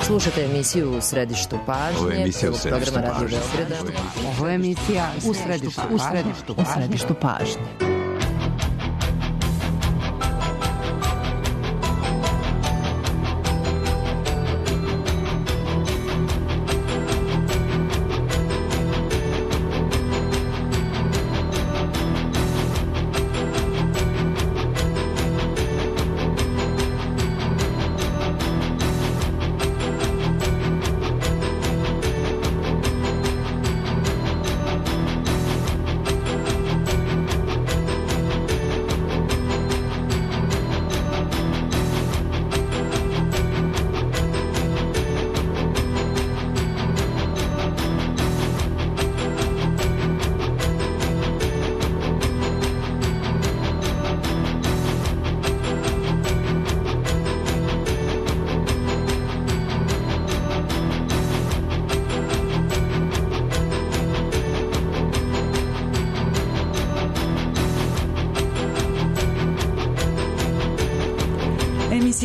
Slušate emisiju U središtu pažnje, programa Radio Beograda. Ovo je emisija U središtu pažnje.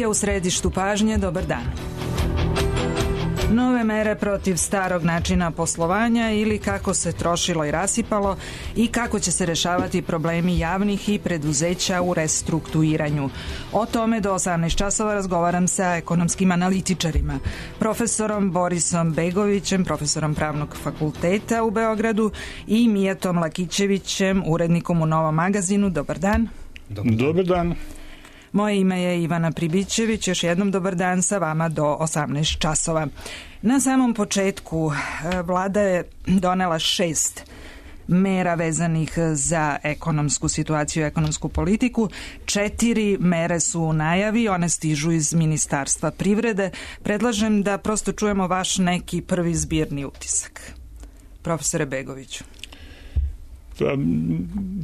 U središtu pažnje, dobar dan. Nove mere protiv starog načina poslovanja ili kako se trošilo i rasipalo i kako će se rešavati problemi javnih i preduzeća u restrukturiranju. O tome do 18 časova razgovaram sa ekonomskim analitičarima, profesorom Borisom Begovićem, profesorom Pravnog fakulteta u Beogradu i Mijatom Lakićevićem, urednikom u Novom magazinu. Dobar dan. Dobar dan. Moje ime je Ivana Pribićević, još jednom dobar dan sa vama do 18 časova. Na samom početku vlada je donela 6 mera vezanih za ekonomsku situaciju i ekonomsku politiku. 4 mere su u najavi, one stižu iz Ministarstva privrede. Predlažem da prosto čujemo vaš neki prvi zbirni utisak. Profesore Begoviću.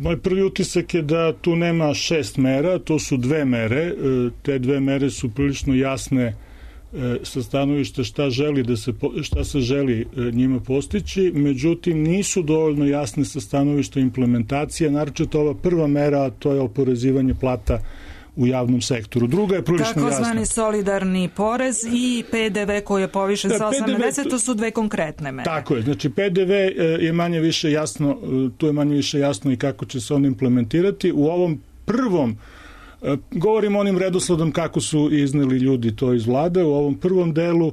Moj prvi utisak je da tu nema 6 mera, to su 2 mere. Te 2 mere su prilično jasne sa stanovišta šta se želi njima postići, međutim nisu dovoljno jasne sa stanovišta implementacije, naročito ova prva mera, a to je oporezivanje plata u javnom sektoru. Druga je prilično jasna. Takozvani solidarni porez i PDV koji je povišen sa 8 na 10, to su 2 konkretne mere. Tako je, znači PDV je manje više jasno, tu je manje više jasno i kako će se on implementirati. U ovom prvom, govorim onim redosledom kako su izneli ljudi to iz vlade, u ovom prvom delu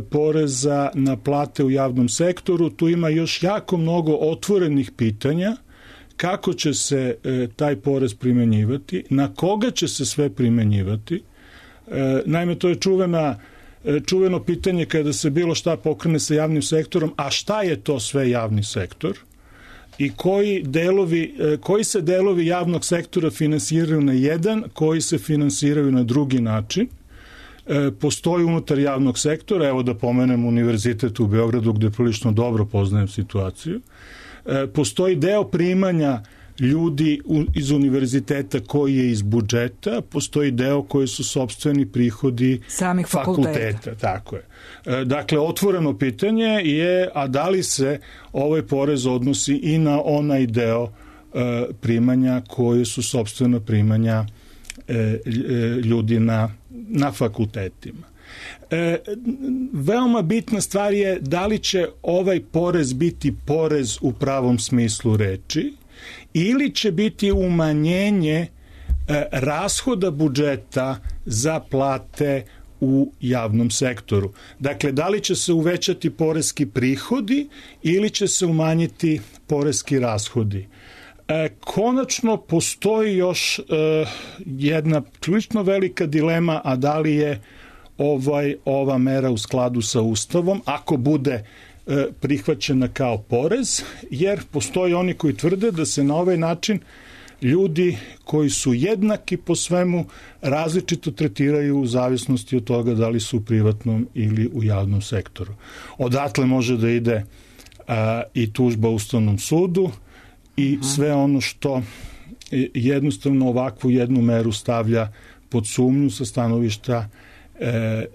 poreza na plate u javnom sektoru, tu ima još jako mnogo otvorenih pitanja. Kako će se taj porez primenjivati, na koga će se sve primenjivati. Naime, to je čuveno pitanje kada se bilo šta pokrene sa javnim sektorom, a šta je to sve javni sektor i koji se delovi javnog sektora finansiraju na jedan, koji se finansiraju na drugi način. Postoji unutar javnog sektora, evo da pomenem Univerzitet u Beogradu gde prilično dobro poznajem situaciju. Postoji deo primanja ljudi iz univerziteta koji je iz budžeta, postoji deo koji su sopstveni prihodi samih fakulteta. Tako je. Dakle, otvoreno pitanje je, a da li se ovaj porez odnosi i na onaj deo primanja koji su sopstvena primanja ljudi na fakultetima. Veoma bitna stvar je da li će ovaj porez biti porez u pravom smislu reči ili će biti umanjenje rashoda budžeta za plate u javnom sektoru. Dakle, da li će se uvećati poreski prihodi ili će se umanjiti poreski rashodi. Konačno postoji još jedna prilično velika dilema, a da li je ova mera u skladu sa Ustavom, ako bude prihvaćena kao porez, jer postoje oni koji tvrde da se na ovaj način ljudi koji su jednaki po svemu različito tretiraju u zavisnosti od toga da li su u privatnom ili u javnom sektoru. Odatle može da ide i tužba Ustavnom sudu i sve ono što jednostavno ovakvu jednu meru stavlja pod sumnju sa stanovišta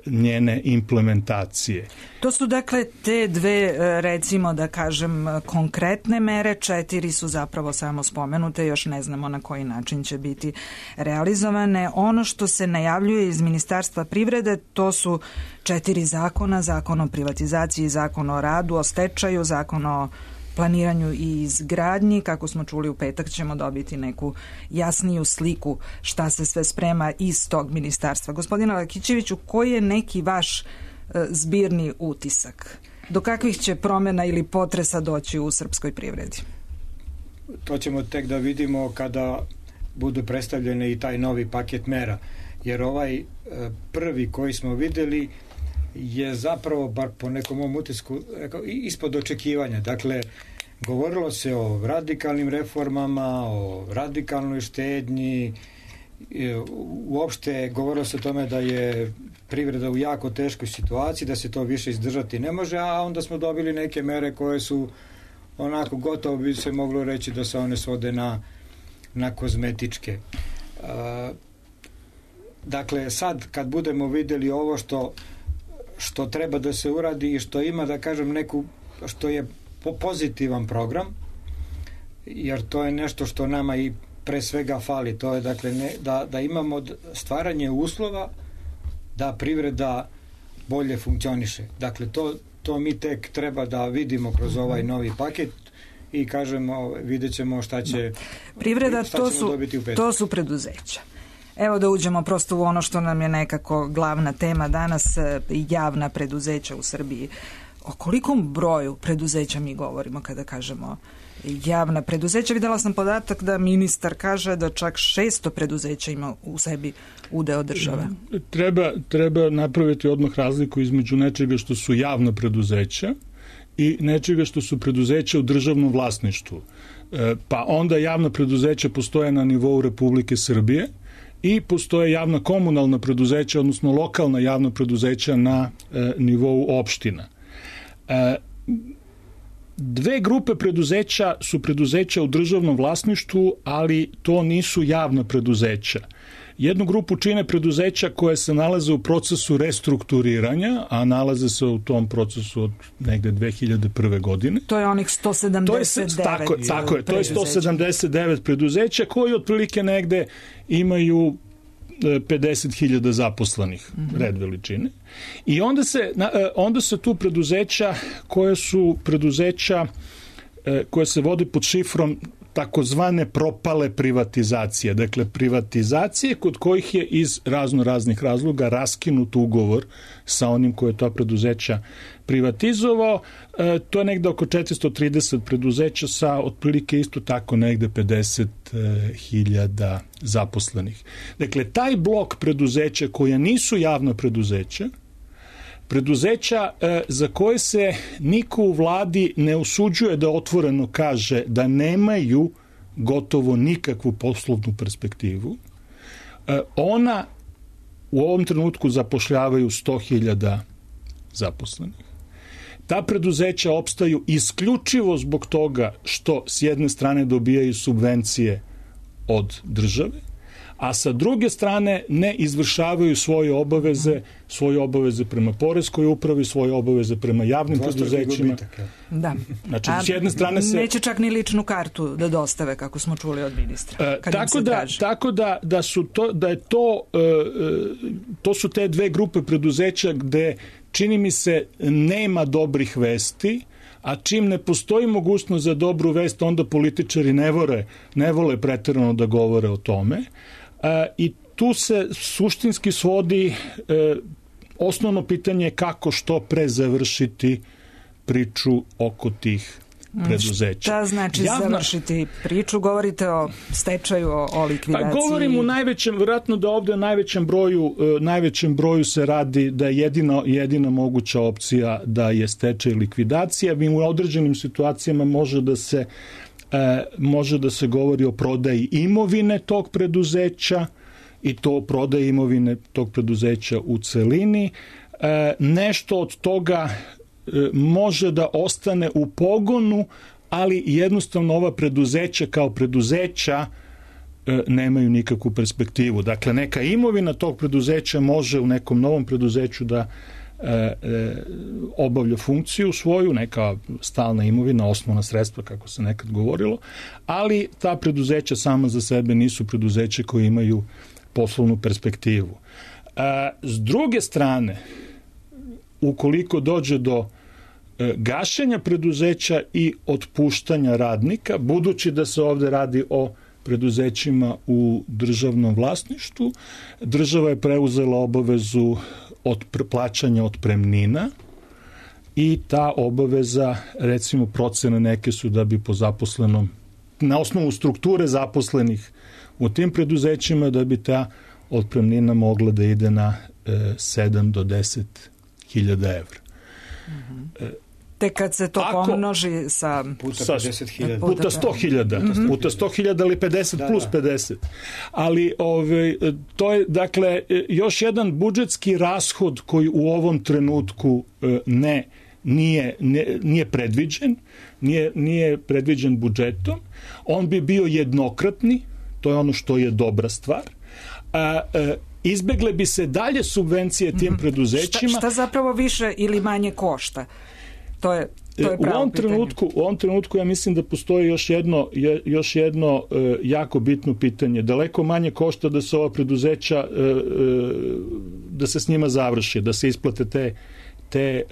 njene implementacije. To su dakle te dve, recimo da kažem, konkretne mere, 4 su zapravo samo spomenute, još ne znamo na koji način će biti realizovane. Ono što se najavljuje iz Ministarstva privrede, to su 4 zakona, zakon o privatizaciji, zakon o radu, o stečaju, zakon o planiranju i izgradnji. Kako smo čuli, u petak ćemo dobiti neku jasniju sliku šta se sve sprema iz tog ministarstva. Gospodine Lakićeviću, koji je neki vaš zbirni utisak? Do kakvih će promjena ili potresa doći u srpskoj privredi? To ćemo tek da vidimo kada budu predstavljene i taj novi paket mera. Jer ovaj prvi koji smo vidjeli je zapravo, bar po nekom mom utisku, ispod očekivanja. Dakle, govorilo se o radikalnim reformama, o radikalnoj štednji, uopšte govorilo se o tome da je privreda u jako teškoj situaciji, da se to više izdržati ne može, a onda smo dobili neke mere koje su onako gotovo bi se moglo reći da se one svode na kozmetičke. Dakle, sad kad budemo vidjeli ovo što treba da se uradi i što ima, da kažem, što je pozitivan program, jer to je nešto što nama i pre svega fali, to je dakle da imamo stvaranje uslova da privreda bolje funkcioniše. Dakle, to mi tek treba da vidimo kroz ovaj novi paket i kažemo, vidjet ćemo šta će privreda, dobiti u petak. To su preduzeća. Evo da uđemo prosto u ono što nam je nekako glavna tema danas, javna preduzeća u Srbiji. O kolikom broju preduzeća mi govorimo kada kažemo javna preduzeća? Videla sam podatak da ministar kaže da čak 600 preduzeća ima u sebi udeo države. Treba napraviti odmah razliku između nečega što su javna preduzeća i nečega što su preduzeća u državnom vlasništvu. Pa onda javna preduzeća postoje na nivou Republike Srbije i postoje javna komunalna preduzeća, odnosno lokalna javna preduzeća na nivou opština. Dve grupe preduzeća su preduzeća u državnom vlasništvu, ali to nisu javna preduzeća. Jednu grupu čine preduzeća koje se nalaze u procesu restrukturiranja, a nalaze se u tom procesu od negde 2001. godine. To je onih 179 Tako je, to je 179 preduzeća koji otprilike negde imaju 50.000 zaposlenih, red veličine. I onda se tu preduzeća koje su preduzeća koje se vode pod šifrom takozvane propale privatizacije. Dakle, privatizacije kod kojih je iz raznih razloga raskinut ugovor sa onim koje je to preduzeća privatizovao. To je negde oko 430 preduzeća sa otprilike isto tako negde 50.000 zaposlenih. Dakle, taj blok preduzeća koja nisu javna preduzeća za koje se niko u vladi ne usuđuje da otvoreno kaže da nemaju gotovo nikakvu poslovnu perspektivu, ona u ovom trenutku zapošljavaju 100.000 zaposlenih. Ta preduzeća opstaju isključivo zbog toga što s jedne strane dobijaju subvencije od države, a sa druge strane ne izvršavaju svoje obaveze prema poreskoj upravi, svoje obaveze prema javnim preduzećima. Da. Znači, s jedne strane se... Neće čak ni ličnu kartu da dostave, kako smo čuli od ministra. To su te dve grupe preduzeća gde, čini mi se, nema dobrih vesti, a čim ne postoji mogućnost za dobru vest, onda političari ne vole preterano da govore o tome. I tu se suštinski svodi osnovno pitanje kako što pre završiti priču oko tih preduzeća. Šta znači završiti priču? Govorite o stečaju, o likvidaciji? Govorim u najvećem, vjerojatno da ovdje u najvećem broju se radi da je jedina moguća opcija da je stečaj likvidacija. U određenim situacijama može da se govori o prodaji imovine tog preduzeća i to prodaji imovine tog preduzeća u celini. Nešto od toga može da ostane u pogonu, ali jednostavno ova preduzeća kao preduzeća nemaju nikakvu perspektivu. Dakle, neka imovina tog preduzeća može u nekom novom preduzeću da obavlja funkciju svoju, neka stalna imovina, osnovna sredstva, kako se nekad govorilo, ali ta preduzeća sama za sebe nisu preduzeće koje imaju poslovnu perspektivu. S druge strane, ukoliko dođe do gašenja preduzeća i otpuštanja radnika, budući da se ovde radi o preduzećima u državnom vlasništvu, država je preuzela obavezu od plaćanja otpremnina i ta obaveza, recimo procene neke su da bi po zaposlenom, na osnovu strukture zaposlenih u tim preduzećima, da bi ta otpremnina mogla da ide na 7 do 10 hiljada evra. Te kad se to pomnoži sa puta 50.000. Puta 100.000. Puta 100.000 ili 50 plus 50. Ali to je, dakle, još jedan budžetski rashod koji u ovom trenutku nije predviđen, nije predviđen budžetom. On bi bio jednokratni, to je ono što je dobra stvar. Izbegle bi se dalje subvencije tim preduzećima. Šta zapravo više ili manje košta? To je pravo pitanje. U ovom trenutku ja mislim da postoji još jedno jako bitno pitanje. Daleko manje košta da se ova preduzeća, da se s njima završi, da se isplate te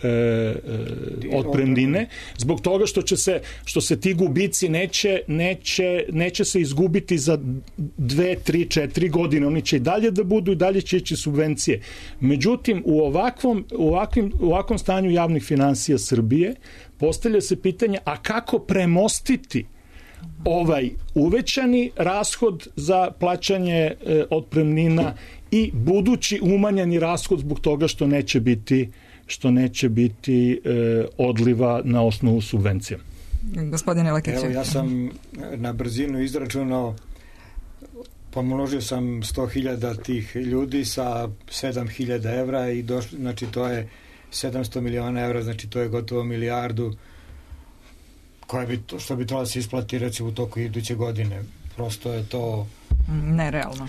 otpremnine, zbog toga što se ti gubici neće se izgubiti za 2, 3, 4 godine. Oni će i dalje da budu i dalje će ići subvencije. Međutim, u ovakvom stanju javnih finansija Srbije postavlja se pitanje, a kako premostiti ovaj uvećani rashod za plaćanje otpremnina i budući umanjeni rashod zbog toga što neće biti odliva na osnovu subvencija. Gospodine Lakiću. Evo, ja sam na brzinu izračunao, pomnožio sam 100.000 tih ljudi sa 7.000 evra i došli, znači to je 700 miliona evra, znači to je gotovo milijardu što bi trebalo da se isplati recimo u toku iduće godine. Prosto je to nerealno.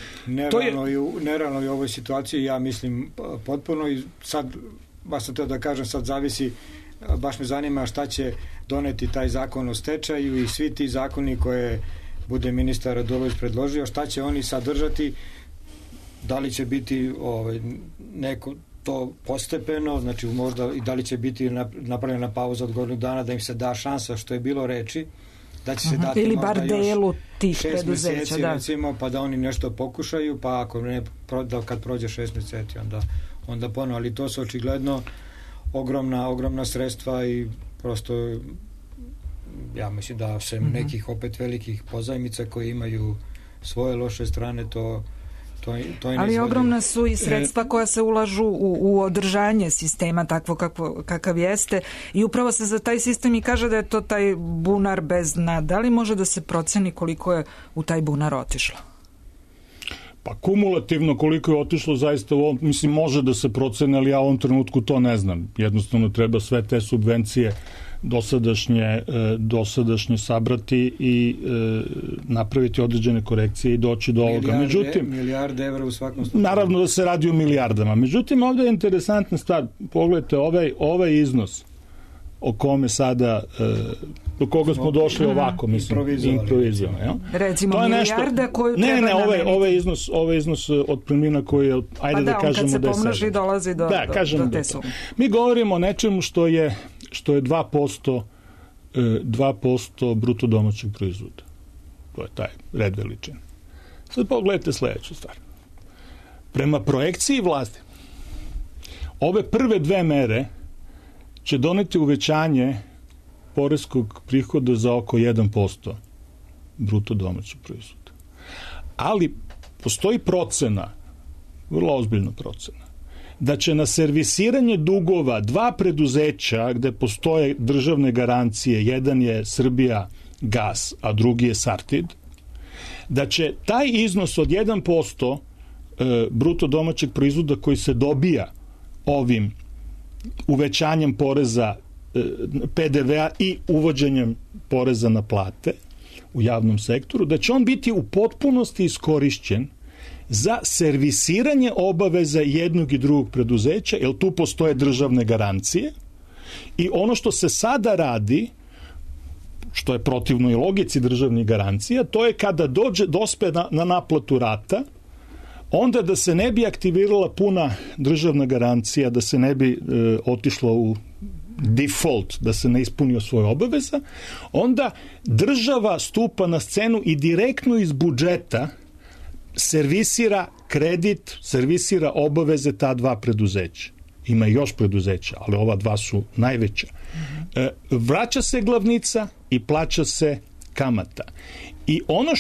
Nerealno i u ovoj situaciji, ja mislim potpuno, i sad baš sam teo da kažem, sad zavisi, baš me zanima šta će doneti taj zakon o stečaju i svi ti zakoni koje bude ministar Radulović predložio, šta će oni sadržati, da li će biti neko to postepeno, znači možda i da li će biti napravljena pauza od godinu dana da im se da šansa, što je bilo reči, da će se dati ili bar delu tih 6 meseci recimo, pa da oni nešto pokušaju, pa ako ne, kad prođe 6 meseci onda ponovo, ali to su očigledno ogromna sredstva i prosto ja mislim da sem nekih opet velikih pozajmica koji imaju svoje loše strane, to ali ogromna su i sredstva koja se ulažu u održanje sistema takvo kakav jeste i upravo se za taj sistem i kaže da je to taj bunar bez dna. Da li može da se proceni koliko je u taj bunar otišlo? Pa kumulativno koliko je otišlo zaista mislim može da se procene, ali ja u ovom trenutku to ne znam. Jednostavno treba sve te subvencije dosadašnje sabrati i napraviti određene korekcije i doći do ovoga. Međutim, milijarde evra u svakom slučaju. Naravno da se radi o milijardama. Međutim, ovdje je interesantna stvar. Pogledajte, ovaj iznos o kome sada do koga smo došli ovako, mislim, improvizovano. Recimo milijarda koju treba nameniti. Ovaj iznos otpremnina koji je, ajde da kažemo da je 7. Kad se pomnoži dolazi do te sume. Mi govorimo o nečemu što je 2% bruto domaćeg proizvoda. To je taj red veličine. Sad pogledajte sljedeću stvar. Prema projekciji vlasti, ove prve dve mere će doneti uvećanje poreskog prihoda za oko 1% bruto domaćeg proizvoda. Ali postoji procena, vrlo ozbiljna procena, da će na servisiranje dugova dva preduzeća gde postoje državne garancije, jedan je Srbija Gas, a drugi je Sartid, da će taj iznos od 1% bruto domaćeg proizvoda koji se dobija ovim uvećanjem poreza PDV-a i uvođenjem poreza na plate, u javnom sektoru, da će on biti u potpunosti iskorišćen za servisiranje obaveza jednog i drugog preduzeća, jer tu postoje državne garancije i ono što se sada radi, što je protivno i logici državnih garancija, to je kada dospe na naplatu rata, onda da se ne bi aktivirala puna državna garancija, da se ne bi otišlo u default, da se ne ispunio svoje obaveza, onda država stupa na scenu i direktno iz budžeta servisira kredit, servisira obaveze ta dva preduzeća. Ima još preduzeća, ali ova dva su najveća. Vraća se glavnica i plaća se kamata. I ono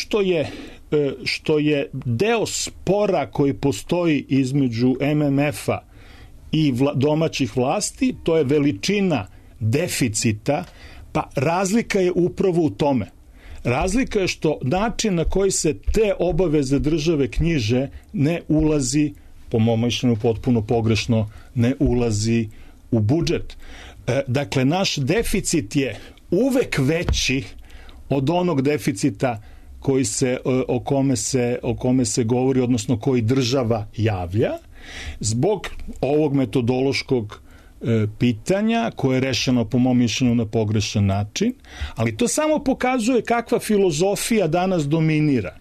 što je deo spora koji postoji između MMF-a i domaćih vlasti, to je veličina deficita, pa razlika je upravo u tome. Razlika je što način na koji se te obaveze države knjiže ne ulazi, po mom mišljenju potpuno pogrešno, ne ulazi u budžet. Dakle, naš deficit je uvek veći od onog deficita o kome se govori, odnosno koji država javlja, zbog ovog metodološkog pitanja koje je rešeno po mom mišljenju na pogrešan način, ali to samo pokazuje kakva filozofija danas dominira.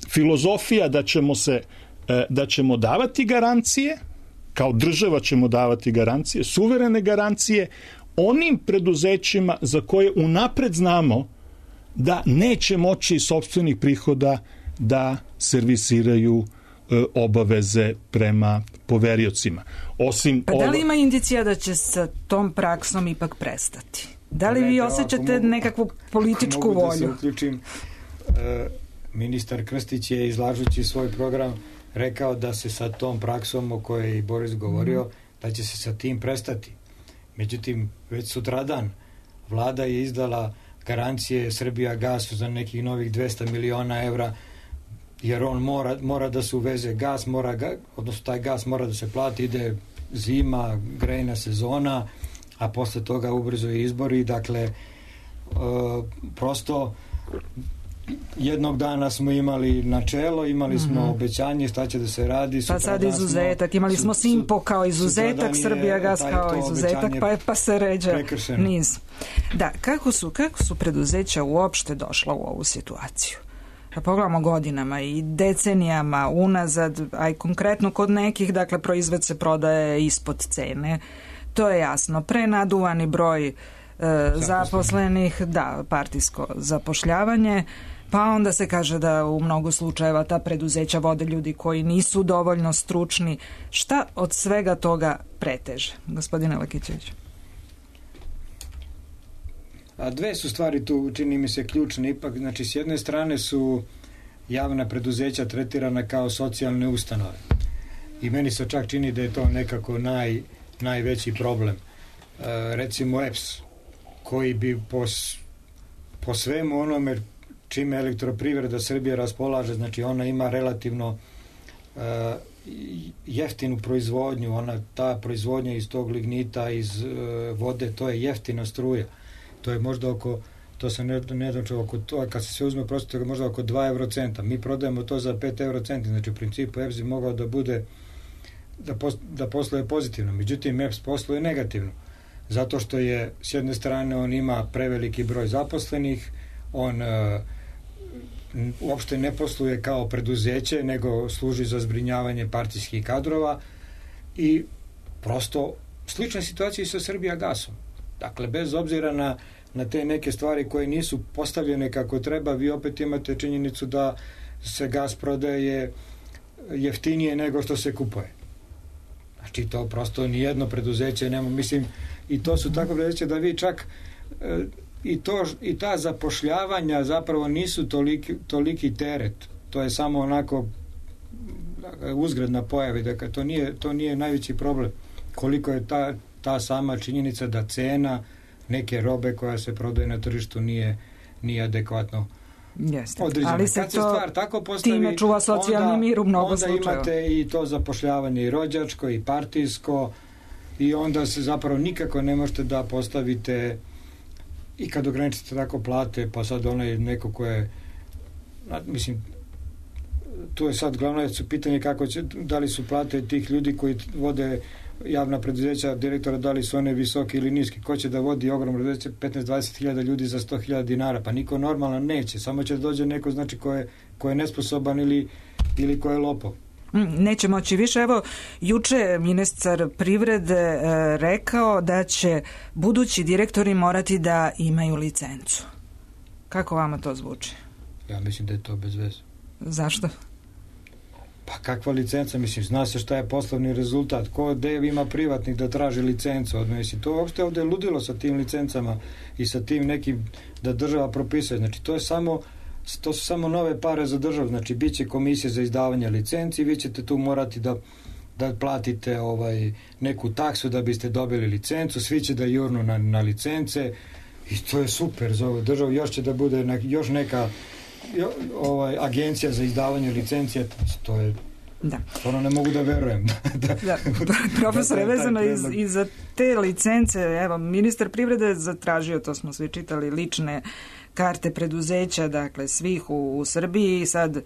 Filozofija da ćemo davati garancije, kao država ćemo davati garancije, suverene garancije onim preduzećima za koje unapred znamo da neće moći iz sopstvenih prihoda da servisiraju obaveze prema poveriocima. Da li ima indicija da će sa tom praksom ipak prestati? Da li vi osjećate nekakvu političku volju? Mogu da se uključim. Ministar Krstić je, izlažući svoj program, rekao da se sa tom praksom o kojoj je i Boris govorio, da će se sa tim prestati. Međutim, već sutradan vlada je izdala garancije Srbijagasu za nekih novih 200 miliona evra, jer on mora da se uveze gas, odnosno taj gas mora da se plati, ide zima, grejna sezona, a posle toga ubrzo i izbori. Dakle, prosto jednog dana smo imali načelo, imali smo obećanje šta će da se radi. Pa sad izuzetak, imali smo Simpo kao izuzetak, Srbijagas kao izuzetak, pa se ređa niz. Da, kako su preduzeća uopšte došla u ovu situaciju? Da pogledamo godinama i decenijama unazad, a i konkretno kod nekih, dakle, proizvod se prodaje ispod cene. To je jasno. Prenaduvani broj zaposlenih, da, partijsko zapošljavanje, pa onda se kaže da u mnogo slučajeva ta preduzeća vode ljudi koji nisu dovoljno stručni. Šta od svega toga preteže, gospodine Lakićević? A dve su stvari tu, čini mi se, ključne ipak. Znači, s jedne strane su javna preduzeća tretirana kao socijalne ustanove. I meni se čak čini da je to nekako najveći problem. Recimo EPS, koji bi po svemu onome čime Elektroprivreda Srbije raspolaže, znači ona ima relativno jeftinu proizvodnju, ta proizvodnja iz tog lignita, iz vode, to je jeftina struja. To je možda to se ne dočeo oko to, kad se sve uzme prosto, možda oko 2 eurocenta. Mi prodajemo to za 5 eurocenti, znači u principu EPS bi mogao da bude, da posluje pozitivno. Međutim, EPS posluje negativno. Zato što je, s jedne strane, on ima preveliki broj zaposlenih, on uopšte ne posluje kao preduzeće, nego služi za zbrinjavanje partijskih kadrova i prosto slična situacija i sa Srbijagasom. Dakle, bez obzira na te neke stvari koje nisu postavljene kako treba, vi opet imate činjenicu da se gas prodaje jeftinije nego što se kupuje. Znači, to prosto nijedno preduzeće nema, mislim, i to su tako preduzeće da vi čak i ta zapošljavanja zapravo nisu toliki teret. To je samo onako uzgredna pojava, dakle, to nije najveći problem. Koliko je ta sama činjenica da cena neke robe koja se prodaje na tržištu nije adekvatno određena. Ali se to tako postavi, time čuva socijalni mir u mnogo slučajeva. Onda imate i to zapošljavanje i rođačko i partijsko i onda se zapravo nikako ne možete da postavite i kad ograničite tako plate, pa sad onaj neko ko je, mislim, tu je sad glavno pitanje kako će, da li su plate tih ljudi koji vode javna preduzeća, direktora, da li su one visoke ili niske, ko će da vodi ogromno preduzeće, 15-20 hiljada ljudi za 100.000 dinara, pa niko normalan neće, samo će da dođe neko, znači, ko je nesposoban ili ko je lopov. Neće moći više. Evo, juče ministar privrede rekao da će budući direktori morati da imaju licencu. Kako vama to zvuči? Ja mislim da je to bez veze. Zašto? Pa kakva licenca? Mislim, zna se šta je poslovni rezultat. Gde ima privatnik da traži licencu? Mislim, to uopšte ovde je ludilo sa tim licencama i sa tim nekim da država propisuje. Znači, to su samo nove pare za državu. Znači, bit će komisija za izdavanje licenci, vi ćete tu morati da platite neku taksu da biste dobili licencu, svi će da jurnu na licence i to je super za ovu državu. Još će da bude još neka agencija za izdavanje licencije, to je ono ne mogu da verujem. Profesore, vezano i za te licence, evo, ministar privrede zatražio, to smo svi čitali, lične karte preduzeća, dakle svih u Srbiji. Sad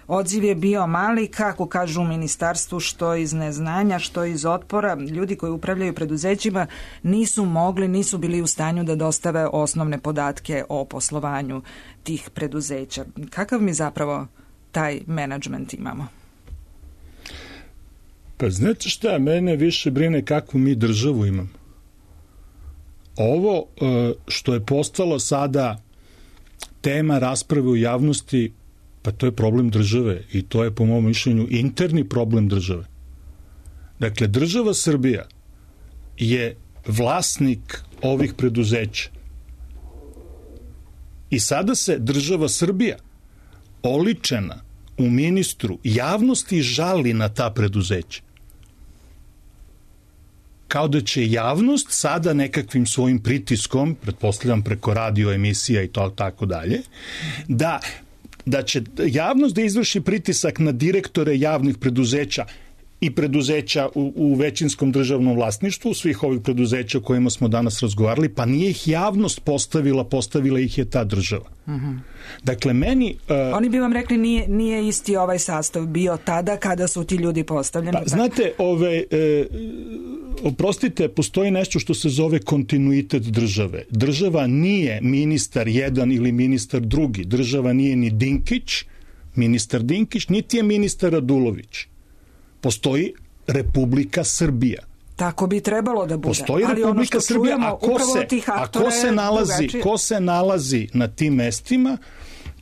odziv je bio mali, kako kažu u ministarstvu, što iz neznanja, što iz otpora. Ljudi koji upravljaju preduzećima nisu bili u stanju da dostave osnovne podatke o poslovanju tih preduzeća. Kakav mi zapravo taj menadžment imamo? Pa znate šta, mene više brine kakvu mi državu imamo. Ovo što je postalo sada tema rasprave u javnosti, pa to je problem države i to je po mom mišljenju interni problem države. Dakle, država Srbija je vlasnik ovih preduzeća i sada se država Srbija oličena u ministru javnosti žali na ta preduzeća. Kao da će javnost sada nekakvim svojim pritiskom, pretpostavljam preko radio emisija i to tako dalje, da će javnost da izvrši pritisak na direktore javnih preduzeća i preduzeća u većinskom državnom vlasništvu, svih ovih preduzeća o kojima smo danas razgovarali, pa nije ih javnost postavila ih je ta država. Dakle, meni... Oni bi vam rekli nije isti ovaj sastav bio tada kada su ti ljudi postavljeni. Pa, znate, oprostite, postoji nešto što se zove kontinuitet države. Država nije ministar jedan ili ministar drugi. Država nije ni Dinkić, ministar Dinkić, niti je ministar Radulović. Postoji Republika Srbija. Tako bi trebalo da bude. Postoji Republika Srbija, ko se nalazi na tim mestima,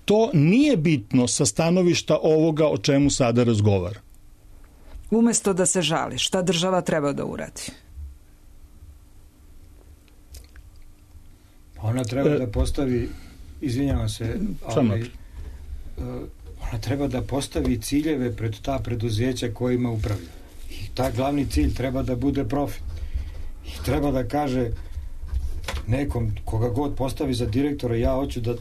to nije bitno sa stanovišta ovoga o čemu sada razgovara. Umesto da se žali, šta država treba da uradi? Ona treba da postavi, izvinjavam se, ali ona treba da postavi ciljeve pred ta preduzeća kojima upravlja. I taj glavni cilj treba da bude profit. I treba da kaže nekom, koga god postavi za direktora, ja hoću da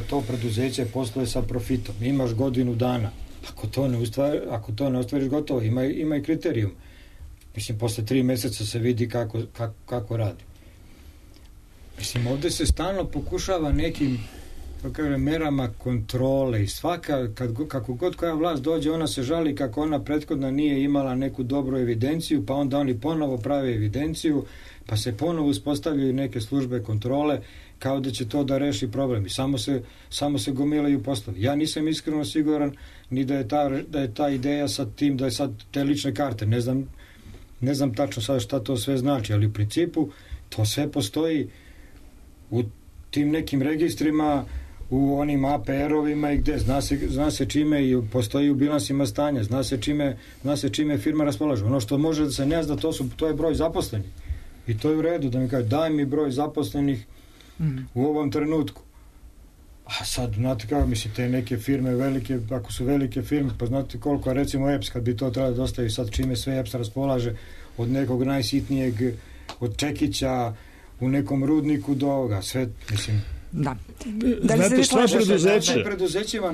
to preduzeće posluje sa profitom. Imaš godinu dana. Ako to ne ostvariš, gotovo. Ima i kriterijum. Mislim, posle 3 meseca se vidi kako radi. Mislim, ovde se stalno pokušava nekim merama kontrole i svaka, kako god koja vlast dođe, ona se žali kako ona prethodno nije imala neku dobru evidenciju, pa onda oni ponovo prave evidenciju, pa se ponovo uspostavljaju neke službe kontrole, kao da će to da reši problem i samo se gomilaju poslovi. Ja nisam iskreno siguran ni da je ta ideja sa tim da je sad te lične karte, ne znam tačno sad šta to sve znači, ali u principu to sve postoji u tim nekim registrima, u onim APR-ovima i gde, zna se čime i postoji u bilansima stanja, zna se čime firma raspolaže. Ono što može da se ne zna, to je broj zaposlenih. I to je u redu, da mi kaže, daj mi broj zaposlenih u ovom trenutku. A sad, znate kako, te neke firme velike, ako su velike firme, pa znate koliko, recimo EPS, kad bi to trebalo da dostavi sad čime sve EPS raspolaže, od nekog najsitnijeg, od čekića, u nekom rudniku do ovoga, sve, Da. Znate šta preduzeće? Preduzećima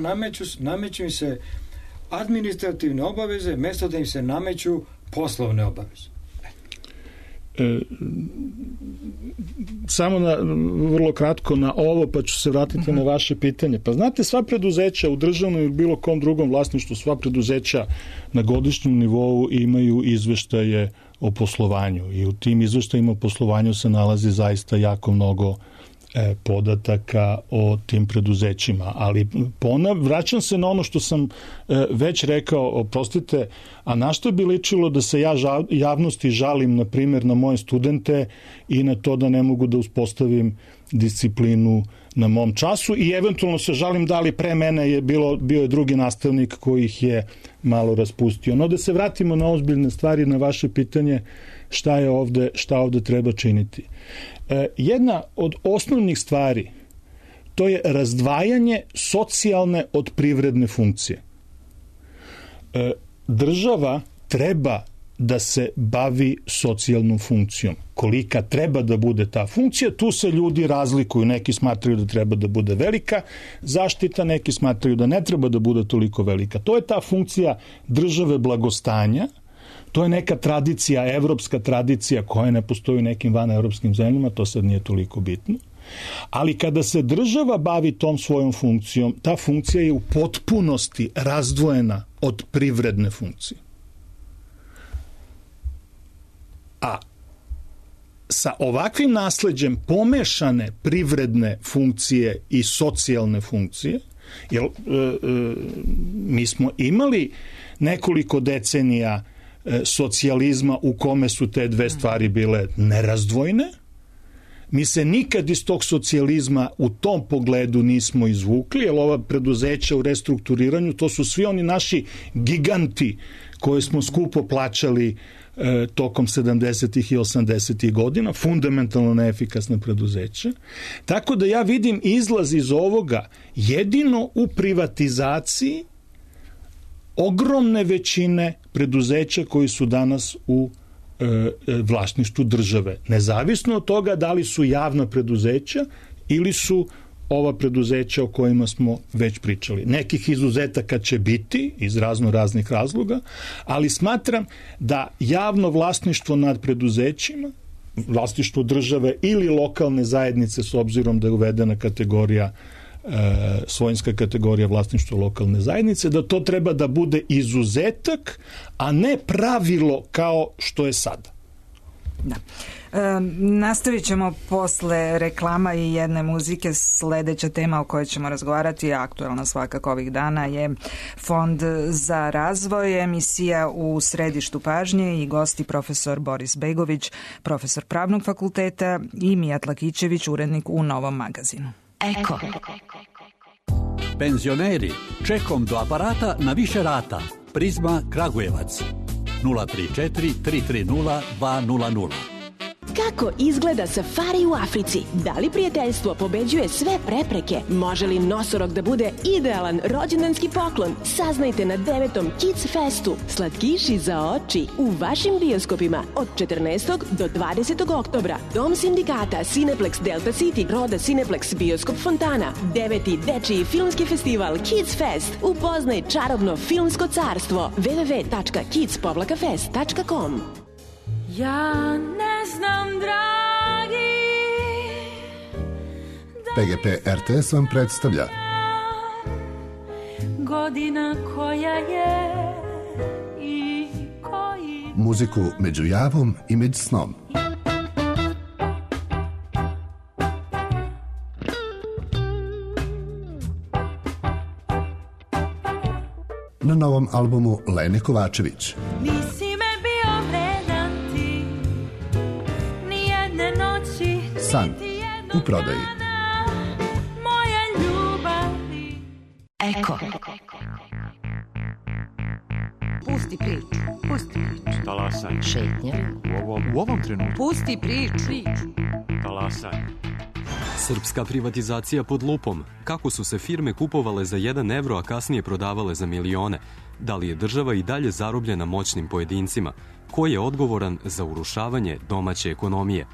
nameću im se administrativne obaveze, mesto da im se nameću poslovne obaveze. Samo vrlo kratko na ovo, pa ću se vratiti na vaše pitanje. Pa znate, sva preduzeća u državnom ili bilo kom drugom vlasništvu, sva preduzeća na godišnjem nivou imaju izveštaje o poslovanju i u tim izveštajima o poslovanju se nalazi zaista jako mnogo podataka o tim preduzećima, ali vraćam se na ono što sam već rekao, oprostite, a na što bi ličilo da se ja javnosti žalim, na primjer, na moje studente i na to da ne mogu da uspostavim disciplinu na mom času i eventualno se žalim da li pre mene bio je drugi nastavnik koji ih je malo raspustio. No da se vratimo na ozbiljne stvari, na vaše pitanje šta ovde treba činiti. Jedna od osnovnih stvari to je razdvajanje socijalne od privredne funkcije. Država treba da se bavi socijalnom funkcijom. Kolika treba da bude ta funkcija, tu se ljudi razlikuju. Neki smatraju da treba da bude velika zaštita, neki smatraju da ne treba da bude toliko velika. To je ta funkcija države blagostanja. To je neka tradicija, evropska tradicija koja ne postoji u nekim vanevropskim zemljama, to sad nije toliko bitno. Ali kada se država bavi tom svojom funkcijom, ta funkcija je u potpunosti razdvojena od privredne funkcije. A sa ovakvim nasleđem pomešane privredne funkcije i socijalne funkcije, jer mi smo imali nekoliko decenija socijalizma u kome su te dve stvari bile nerazdvojne. Mi se nikad iz tog socijalizma u tom pogledu nismo izvukli, jer ova preduzeća u restrukturiranju, to su svi oni naši giganti koje smo skupo plaćali tokom 70. i 80. godina, fundamentalno neefikasna preduzeća. Tako da ja vidim izlaz iz ovoga jedino u privatizaciji ogromne većine preduzeća koji su danas u vlasništvu države. Nezavisno od toga da li su javna preduzeća ili su ova preduzeća o kojima smo već pričali. Nekih izuzetaka će biti iz raznih razloga, ali smatram da javno vlasništvo nad preduzećima, vlasništvo države ili lokalne zajednice, s obzirom da je uvedena kategorija svojinska kategorija vlasništva lokalne zajednice, da to treba da bude izuzetak, a ne pravilo kao što je sada. Da. Nastavit ćemo posle reklama i jedne muzike. Sledeća tema o kojoj ćemo razgovarati, aktuelna svakako ovih dana, je Fond za razvoj, emisija u središtu pažnje i gosti profesor Boris Begović, profesor Pravnog fakulteta, i Mijat Lakićević, urednik u Novom magazinu. Eko. Penzioneri, čekom do aparata na više rata. Prizma Kragujevac 034 330 200. Kako izgleda safari u Africi? Da li prijateljstvo pobeđuje sve prepreke? Može li nosorog da bude idealan rođendanski poklon? Saznajte na 9. Kids Festu. Slatkiši za oči u vašim bioskopima od 14. do 20. oktobra. Dom sindikata, Cineplex Delta City, Roda Cineplex, Bioskop Fontana. 9. dečiji filmski festival Kids Fest. Upoznaj čarobno filmsko carstvo. www.kids-fest.com. Ja ne znam, dragi, PGP RTS vam predstavlja godina koja je i koji... muziku među javom i među snom. Na novom albumu Lene Kovačević. San u prodaji. Eko. Pusti priču. Talasaj. Šetnja. U ovom trenutku. Pusti priču. Talasaj. Srpska privatizacija pod lupom. Kako su se firme kupovale za 1 evro, a kasnije prodavale za milione? Da li je država i dalje zarobljena moćnim pojedincima? Ko je odgovoran za urušavanje domaće ekonomije?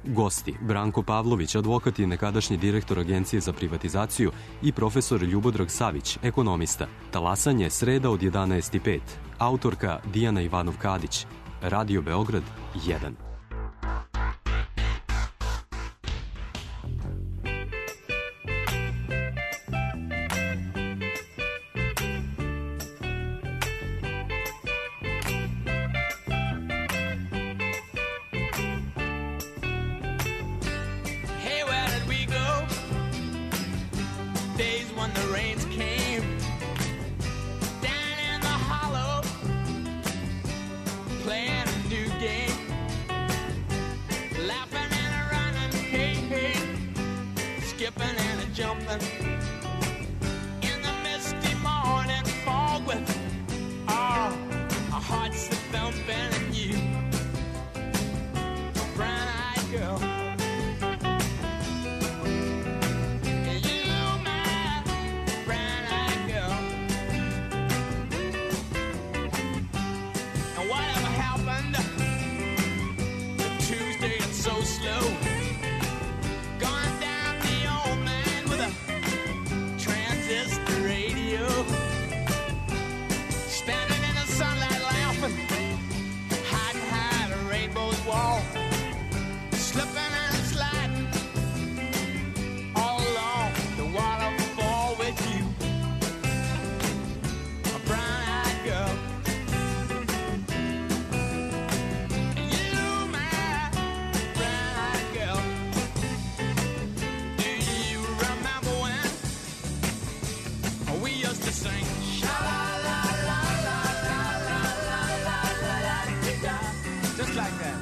Gosti: Branko Pavlović, advokat i nekadašnji direktor Agencije za privatizaciju, i profesor Ljubodrag Savić, ekonomista. Talasanje, sreda od 11:05. Autorka Dijana Ivanov-Kadić. Radio Beograd 1. heaven. In the misty morning fog with our hearts that thumping and you, brown-eyed girl. You, my brown-eyed girl. And whatever happened to Tuesday and so slow, gone down the old man with a transistor radio, standing in the sunlight laughing, hiding behind a rainbow's wall, slipping and sliding all along the waterfall with you, a brown-eyed girl. You, my brown-eyed girl. Do you remember when we used to sing sha-la-la-la-la-la-la-la-la-la-la-la-la-la-la-la-la, just like that?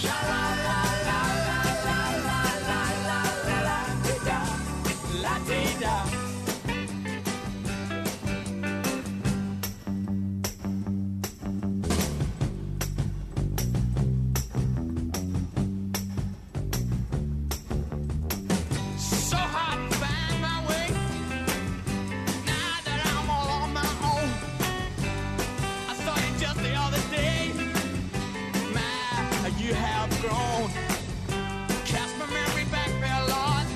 Sha-la-la-la-la-la-la-la-la-la-la-la-la. So hard to find my way now that I'm all on my own. I saw you just the other day. My, you have grown. Cast my memory back there, Lord.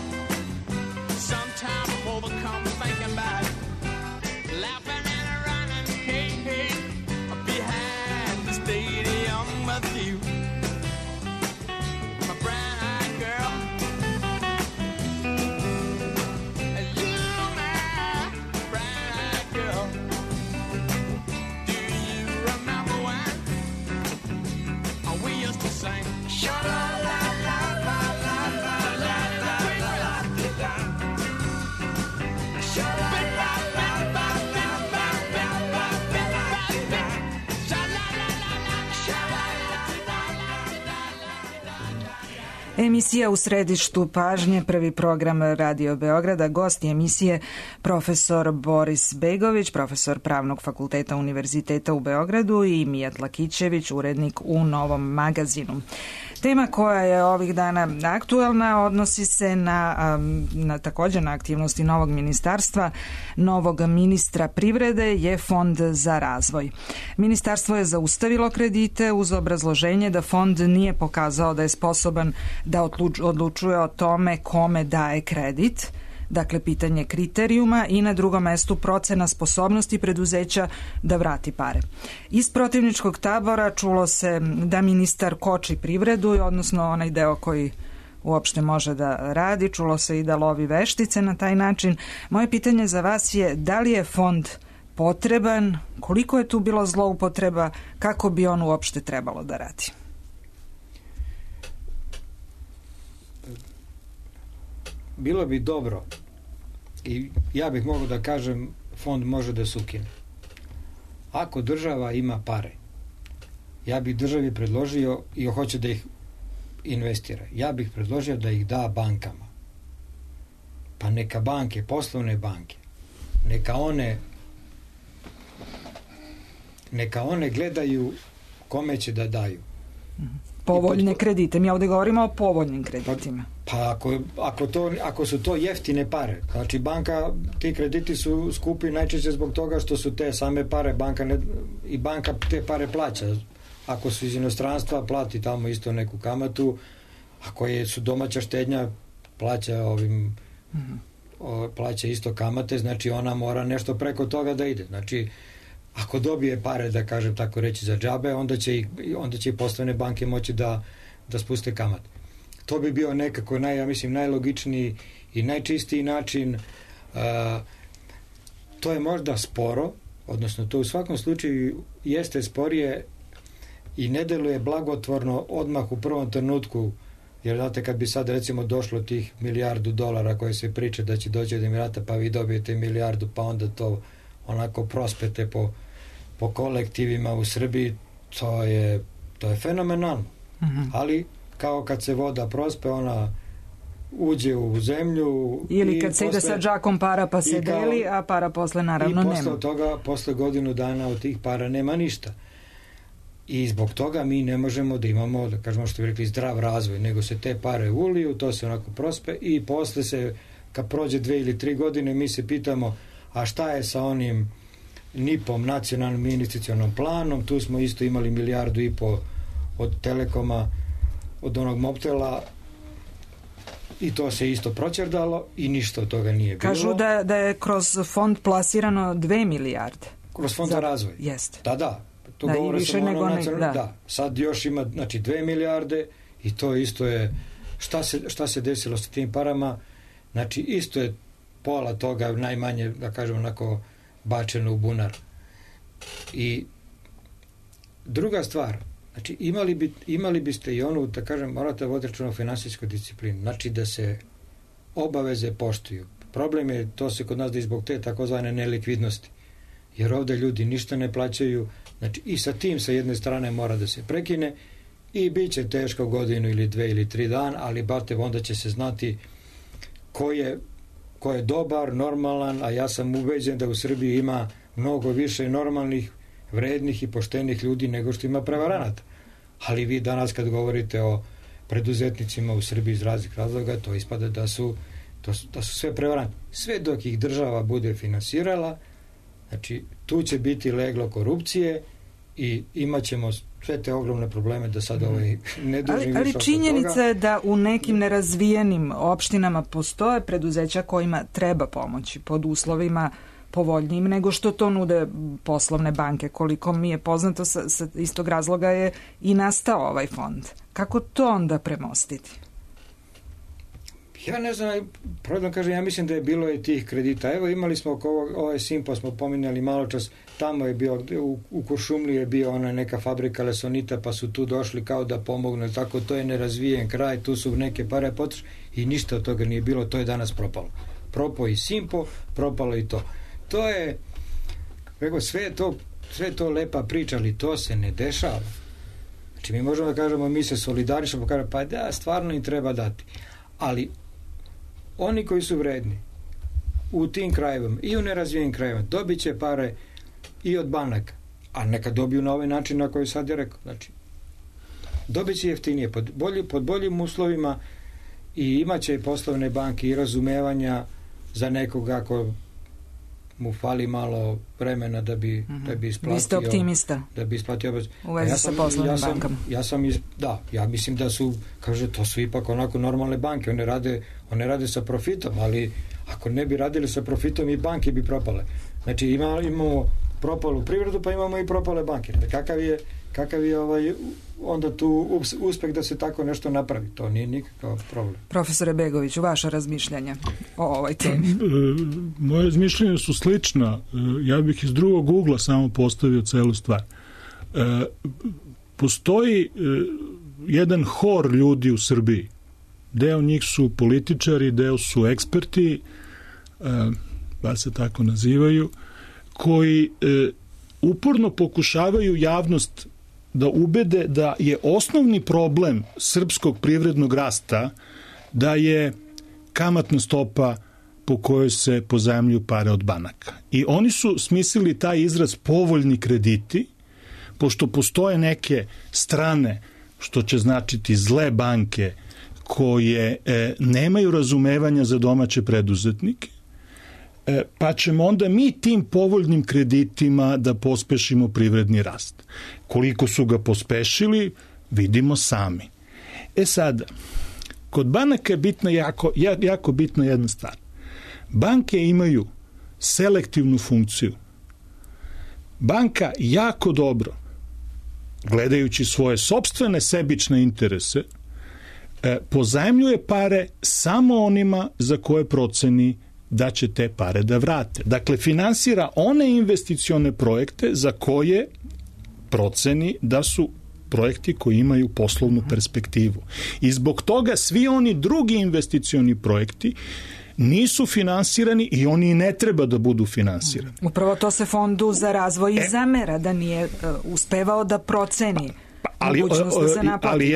Sometimes I'm overcome thinking about laughing and running, hey, hey, behind the stadium with you, my brown-eyed girl. You, my brown-eyed girl. Do you remember when we used to sing sha-la-la-la-la-la-la-la-la-la-la-la? Emisija U središtu pažnje, prvi program Radio Beograda. Gost emisije profesor Boris Begović, profesor Pravnog fakulteta Univerziteta u Beogradu, i Mijat Lakićević, urednik u Novom magazinu. Tema koja je ovih dana aktuelna odnosi se također na aktivnosti novog ministarstva, novog ministra privrede je Fond za razvoj. Ministarstvo je zaustavilo kredite uz obrazloženje da fond nije pokazao da je sposoban da odlučuje o tome kome daje kredit. Dakle, pitanje kriterijuma, i na drugom mestu procena sposobnosti preduzeća da vrati pare. Iz protivničkog tabora čulo se da ministar koči privredu, odnosno onaj deo koji uopšte može da radi. Čulo se i da lovi veštice na taj način. Moje pitanje za vas je da li je fond potreban, koliko je tu bilo zloupotreba, kako bi on uopšte trebalo da radi? Bilo bi dobro, i ja bih mogao da kažem, fond može da se ukine. Ako država ima pare, ja bih državi predložio, i hoće da ih investira, ja bih predložio da ih da bankama. Pa neka banke, poslovne banke, neka one gledaju kome će da daju. Povoljne kredite. Mi ovdje govorimo o povoljnim kreditima. Pa ako su to jeftine pare, znači ti krediti su skupi najčešće zbog toga što su te same pare, banka te pare plaća. Ako su iz inostranstva, plati tamo isto neku kamatu. Ako su domaća štednja, plaća isto kamate, znači ona mora nešto preko toga da ide. Znači, ako dobije pare, da kažem tako reći, za džabe, onda će i poslovne banke moći da spuste kamate. To bi bio nekako najlogičniji i najčistiji način. To je možda sporo, odnosno to u svakom slučaju jeste sporije i ne deluje blagotvorno odmah u prvom trenutku, jer znate, kad bi sad recimo došlo tih $1 milijardu koje se priče da će doći od Emirata, pa vi dobijete $1 milijardu, pa onda to onako prospete po kolektivima u Srbiji, to je fenomenalno. Ali kao kad se voda prospe, ona uđe u zemlju. Ili kad se ide sa džakom para pa se deli, a para posle naravno nema. I posle toga, posle godinu dana od tih para nema ništa. I zbog toga mi ne možemo da imamo, da kažemo što bi rekli, zdrav razvoj, nego se te pare uliju, to se onako prospe i posle se, kad prođe 2 ili 3 godine, mi se pitamo, a šta je sa onim NIP-om, nacionalnim investicionom planom, tu smo isto imali 1,5 milijardu od Telekoma, od onog Mobtela, i to se isto proćerdalo i ništa od toga nije bilo. Kažu da je kroz fond plasirano 2 milijarde. Kroz fond za razvoj? Jeste. Da. To govore samo ono nacionalno. Da. Sad još ima, znači, 2 milijarde i to isto je, šta se desilo sa tim parama, znači isto je pola toga najmanje, da kažem, onako bačeno u bunar. I druga stvar, znači imali biste i onu, da kažem, morate voditi računa o finansijskoj disciplini, znači da se obaveze poštuju. Problem je, to se kod nas da zbog te takozvane nelikvidnosti, jer ovde ljudi ništa ne plaćaju, znači i sa tim sa jedne strane mora da se prekine i bit će teško godinu ili 2 ili 3 dana, ali bate, onda će se znati ko je dobar, normalan, a ja sam ubeđen da u Srbiji ima mnogo više normalnih, vrednih i poštenih ljudi nego što ima prevaranata. Ali vi danas kad govorite o preduzetnicima u Srbiji iz raznih razloga, to ispada da su sve prevaranti. Sve dok ih država bude finansirala, znači tu će biti leglo korupcije i imat ćemo sve te ogromne probleme da sad ne dužim. Ali činjenica je da u nekim nerazvijenim opštinama postoje preduzeća kojima treba pomoći pod uslovima povoljnijim nego što to nude poslovne banke. Koliko mi je poznato, sa istog razloga je i nastao ovaj fond. Kako to onda premostiti? Ja ne znam, pravda kažem, ja mislim da je bilo i tih kredita. Evo imali smo ovaj Simpo, smo pominjali malo čas, tamo je bio, u Kuršumliji je bio ona neka fabrika lesonita, pa su tu došli kao da pomognu, tako, to je nerazvijen kraj, tu su neke pare potrošene i ništa od toga nije bilo, to je danas propalo. Propao i Simpo, propalo i to. To je, sve to lepa priča, ali to se ne dešava. Znači mi možemo da kažemo, mi se solidarišemo, pa da, stvarno im treba dati. Ali oni koji su vredni u tim krajevima i u nerazvijenim krajevima dobit će pare i od banaka, a neka dobiju na ovaj način na koji sad je rekao. Znači, dobit će jeftinije, pod boljim uslovima i imaće poslovne banke i razumevanja za nekoga ako mu fali malo vremena da bi isplatio. Vi ste optimista. Da bi isplatio. U vezi sa poslovnim bankama. Ja mislim da su, kaže, to su ipak onako normalne banke, one rade sa profitom, ali ako ne bi radili sa profitom i banke bi propale. Znači imamo propalu privredu, pa imamo i propale banke. Kakav je onda tu uspeh da se tako nešto napravi? To nije nikakav problem. Profesore Begoviću, vaša razmišljanja o ovoj temi? Moje razmišljanja su slična. Ja bih iz drugog ugla samo postavio celu stvar. Postoji jedan hor ljudi u Srbiji. Deo njih su političari, deo su eksperti, bar se tako nazivaju, koji uporno pokušavaju javnost da ubede da je osnovni problem srpskog privrednog rasta da je kamatna stopa po kojoj se pozajmljuju pare od banaka. I oni su smislili taj izraz povoljni krediti, pošto postoje neke strane, što će značiti zle banke, koje nemaju razumevanja za domaće preduzetnike, pa ćemo onda mi tim povoljnim kreditima da pospešimo privredni rast. Koliko su ga pospešili, vidimo sami. Sada, kod banaka je bitna jako bitna jedna stvar. Banke imaju selektivnu funkciju. Banka jako dobro, gledajući svoje sopstvene sebične interese, pozajmljuje pare samo onima za koje proceni da će te pare da vrate. Dakle, finansira one investicione projekte za koje proceni da su projekti koji imaju poslovnu perspektivu. I zbog toga svi oni drugi investicioni projekti nisu finansirani i oni i ne treba da budu finansirani. Upravo to se Fondu za razvoj i zamera, da nije uspevao da proceni mogućnost da se naplati. Ali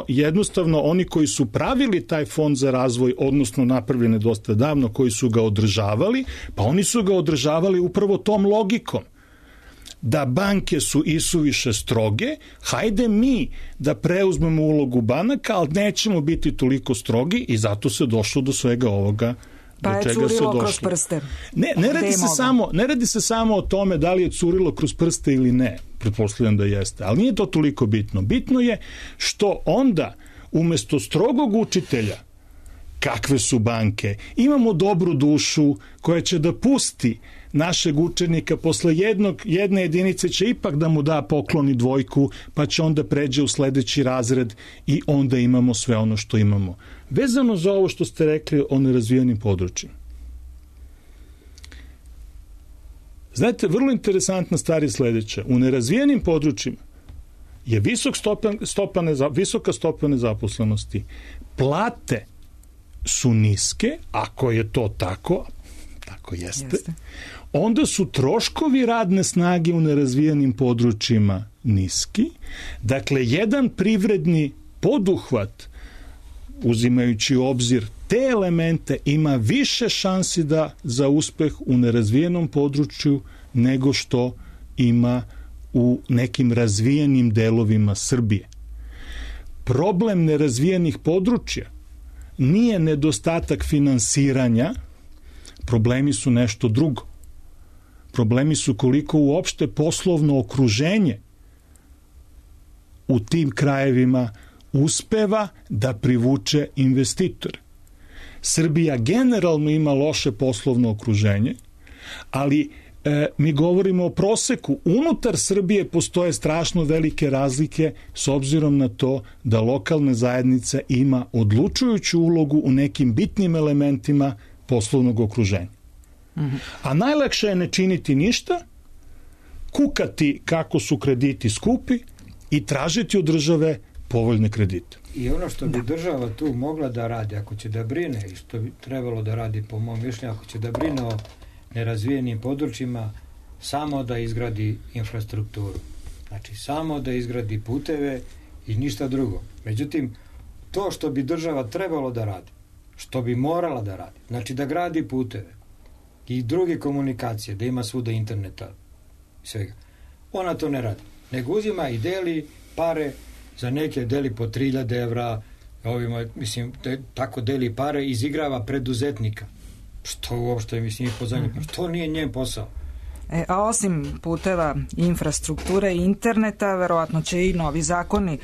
jednostavno oni koji su pravili taj fond za razvoj, odnosno napravljene dosta davno, koji su ga održavali, pa oni su ga održavali upravo tom logikom. Da banke su isuviše stroge, hajde mi da preuzmemo ulogu banaka, ali nećemo biti toliko strogi i zato se došlo do svega ovoga. Pa je curilo kroz prste. Ne radi se samo o tome da li je curilo kroz prste ili ne, pretpostavljam da jeste, ali nije to toliko bitno. Bitno je što onda umesto strogog učitelja kakve su banke, imamo dobru dušu koja će da pusti našeg učenika posle jedne jedinice će ipak da mu da poklon i dvojku, pa će onda pređe u sledeći razred i onda imamo sve ono što imamo. Vezano za ovo što ste rekli o nerazvijenim područjima. Znate, vrlo interesantna stvar je sledeća. U nerazvijenim područjima je visoka stopa nezaposlenosti. Plate su niske, ako je to tako jeste, onda su troškovi radne snage u nerazvijenim područjima niski. Dakle, jedan privredni poduhvat, uzimajući u obzir te elemente, ima više šansi za uspeh u nerazvijenom području nego što ima u nekim razvijenim delovima Srbije. Problem nerazvijenih područja nije nedostatak finansiranja, problemi su nešto drugo. Problemi su koliko uopšte poslovno okruženje u tim krajevima uspeva da privuče investitore. Srbija generalno ima loše poslovno okruženje, ali mi govorimo o proseku. Unutar Srbije postoje strašno velike razlike s obzirom na to da lokalna zajednica ima odlučujuću ulogu u nekim bitnim elementima poslovnog okruženja. A najlakše je ne činiti ništa, kukati kako su krediti skupi i tražiti od države povoljne kredite. I ono što bi država tu mogla da radi, ako će da brine, i što bi trebalo da radi po mom mišljenju, ako će da brine o nerazvijenim područjima, samo da izgradi infrastrukturu. Znači, samo da izgradi puteve i ništa drugo. Međutim, to što bi država trebalo da radi, što bi morala da radi, znači da gradi puteve i druge komunikacije, da ima svuda interneta i svega, ona to ne radi. Nego uzima i deli pare, za neke deli po 3000 evra, ovima, mislim, tako deli pare, izigrava preduzetnika. Što uopšte, mislim, što nije njen posao? A osim puteva, infrastrukture i interneta, verovatno će i novi zakoni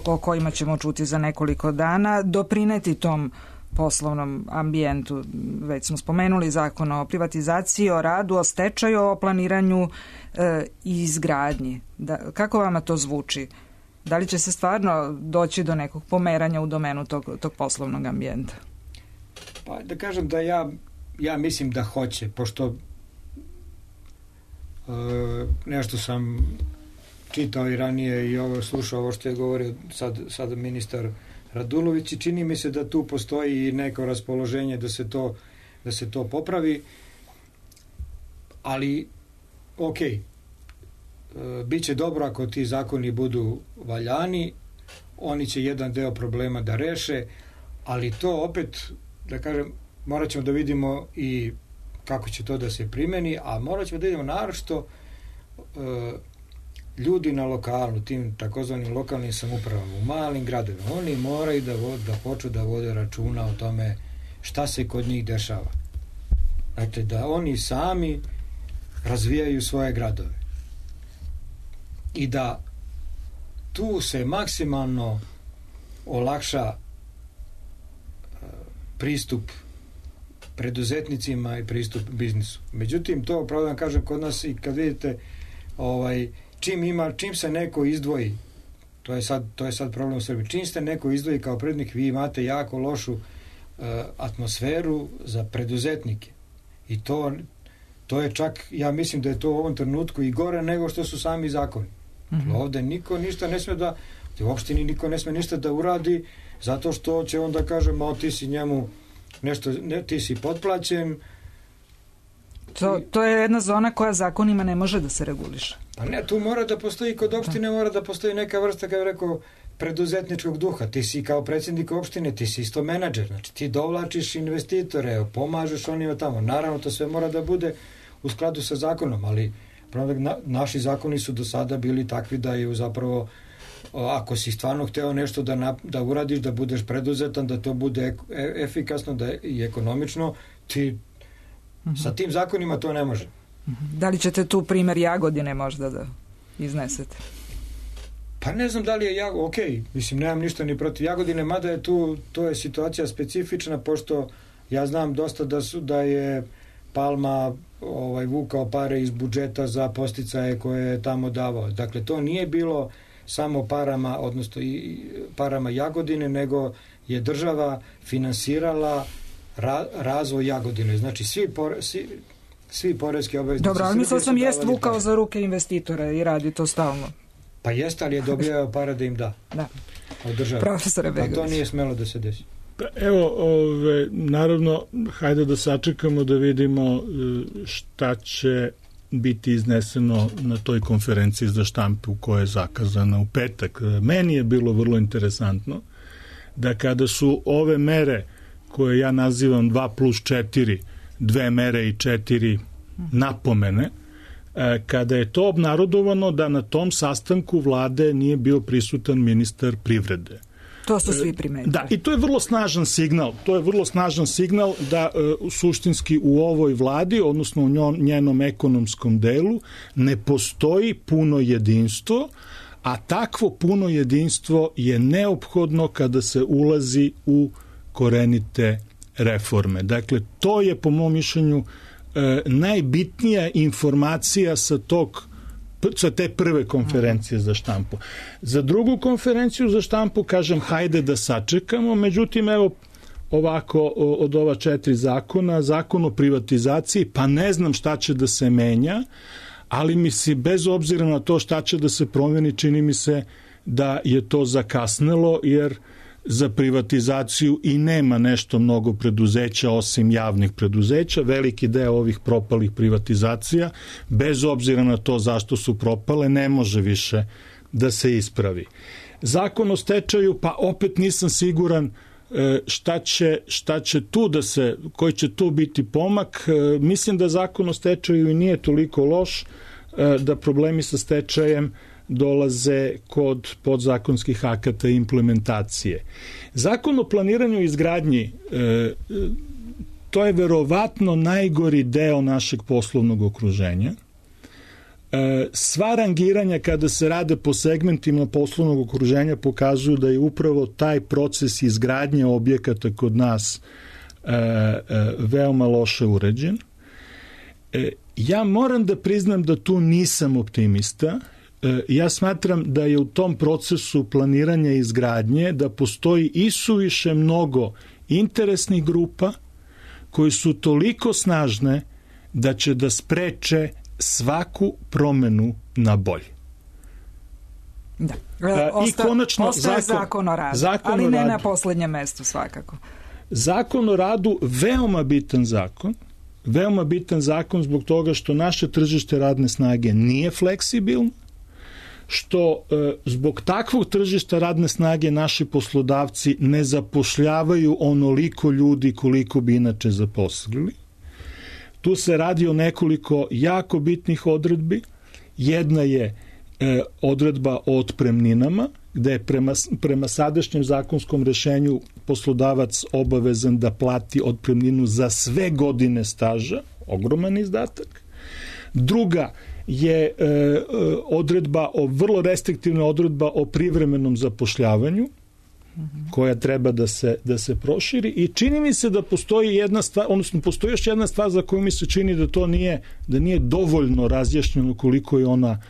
o kojima ćemo čuti za nekoliko dana doprineti tom poslovnom ambijentu. Već smo spomenuli zakon o privatizaciji, o radu, o stečaju, o planiranju i izgradnji. Kako vama to zvuči? Da li će se stvarno doći do nekog pomeranja u domenu tog poslovnog ambijenta? Pa da kažem da ja mislim da hoće, pošto nešto sam čitao i ranije i slušao ovo što je govorio sad ministar Radulović i čini mi se da tu postoji neko raspoloženje da se to popravi, ali biće dobro ako ti zakoni budu valjani, oni će jedan deo problema da reše, ali to opet, da kažem, morat ćemo da vidimo i kako će to da se primeni, a morat ćemo da vidimo naročito ljudi na lokalu, tim takozvanim lokalnim samoupravama, u malim gradovima, oni moraju da počnu da vode računa o tome šta se kod njih dešava. Dakle, da oni sami razvijaju svoje gradove. I da tu se maksimalno olakša pristup preduzetnicima i pristup biznisu. Međutim, to, pravo da kažem, kod nas i kad vidite čim se neko izdvoji, to je sad problem u Srbiji, čim se neko izdvoji kao prednik, vi imate jako lošu atmosferu za preduzetnike. I to je čak, ja mislim da je to u ovom trenutku i gore nego što su sami zakoni. Ovde niko ništa ne sme da, u opštini niko ne sme ništa da uradi, zato što će onda kažem, ti si njemu nešto, ti si potplaćen, To je jedna zona koja zakonima ne može da se reguliše. Pa ne, tu mora da postoji, kod opštine mora da postoji neka vrsta, kao rekao, preduzetničkog duha. Ti si kao predsjednik opštine, ti si isto menadžer, znači ti dovlačiš investitore, pomažeš onima tamo. Naravno, to sve mora da bude u skladu sa zakonom, ali naši zakoni su do sada bili takvi da je zapravo, ako si stvarno hteo nešto da uradiš, da budeš preduzetan, da to bude efikasno i ekonomično, ti sa tim zakonima to ne može. Da li ćete tu primer Jagodine možda da iznesete? Pa ne znam da li je mislim, nemam ništa ni protiv Jagodine, mada je to je situacija specifična, pošto ja znam dosta da je Palma vukao pare iz budžeta za podsticaje koje je tamo davao. Dakle, to nije bilo samo parama, odnosno i parama Jagodine, nego je država finansirala razvoj Jagodine. Znači, svi poreski obveznici. Dobro, ali mislim sam jest vukao za ruke investitore i radi to stalno. Pa jeste, ali je dobijao para da im da. Da. Od države. Profesore Begović. Pa to nije smelo da se desi. Evo, naravno, hajde da sačekamo da vidimo šta će biti izneseno na toj konferenciji za štampu koja je zakazana u petak. Meni je bilo vrlo interesantno da kada su ove mere koje ja nazivam 2+4, 2 mere i 4 napomene, kada je to obnarodovano da na tom sastanku vlade nije bio prisutan ministar privrede. To su svi primetili. Da, i to je vrlo snažan signal. To je vrlo snažan signal da suštinski u ovoj vladi, odnosno u njenom ekonomskom delu, ne postoji puno jedinstvo, a takvo puno jedinstvo je neophodno kada se ulazi u korenite reforme. Dakle, to je po mom mišljenju najbitnija informacija sa te prve konferencije za štampu. Za drugu konferenciju za štampu kažem hajde da sačekamo, međutim evo ovako od ova 4 zakona, zakon o privatizaciji, pa ne znam šta će da se menja, ali mi se bez obzira na to šta će da se promeni, čini mi se da je to zakasnelo, jer za privatizaciju i nema nešto mnogo preduzeća osim javnih preduzeća. Veliki deo ovih propalih privatizacija, bez obzira na to zašto su propale, ne može više da se ispravi. Zakon o stečaju, pa opet nisam siguran šta će tu da se, koji će tu biti pomak. Mislim da zakon o stečaju i nije toliko loš, da problemi sa stečajem dolaze kod podzakonskih akata i implementacije. Zakon o planiranju i izgradnji, to je verovatno najgori deo našeg poslovnog okruženja. Sva rangiranja kada se rade po segmentima poslovnog okruženja pokazuju da je upravo taj proces izgradnje objekata kod nas veoma loše uređen. Ja moram da priznam da tu nisam optimista. Ja smatram da je u tom procesu planiranja i izgradnje da postoji isuviše mnogo interesnih grupa koji su toliko snažne da će da spreče svaku promenu na bolje. Da. I konačno ostaje zakon o radu, ali ne na poslednjem mestu svakako. Zakon o radu, veoma bitan zakon zbog toga što naše tržište radne snage nije fleksibilno, što zbog takvog tržišta radne snage naši poslodavci ne zapošljavaju onoliko ljudi koliko bi inače zaposlili. Tu se radi o nekoliko jako bitnih odredbi. Jedna je odredba o otpremninama, gde je prema sadašnjem zakonskom rešenju poslodavac obavezan da plati otpremninu za sve godine staža, ogroman izdatak. Druga je vrlo restriktivna odredba o privremenom zapošljavanju, koja treba da se proširi, i čini mi se da postoji jedna stvar, odnosno postoji još jedna stvar za koju mi se čini da nije dovoljno razjašnjeno koliko je ona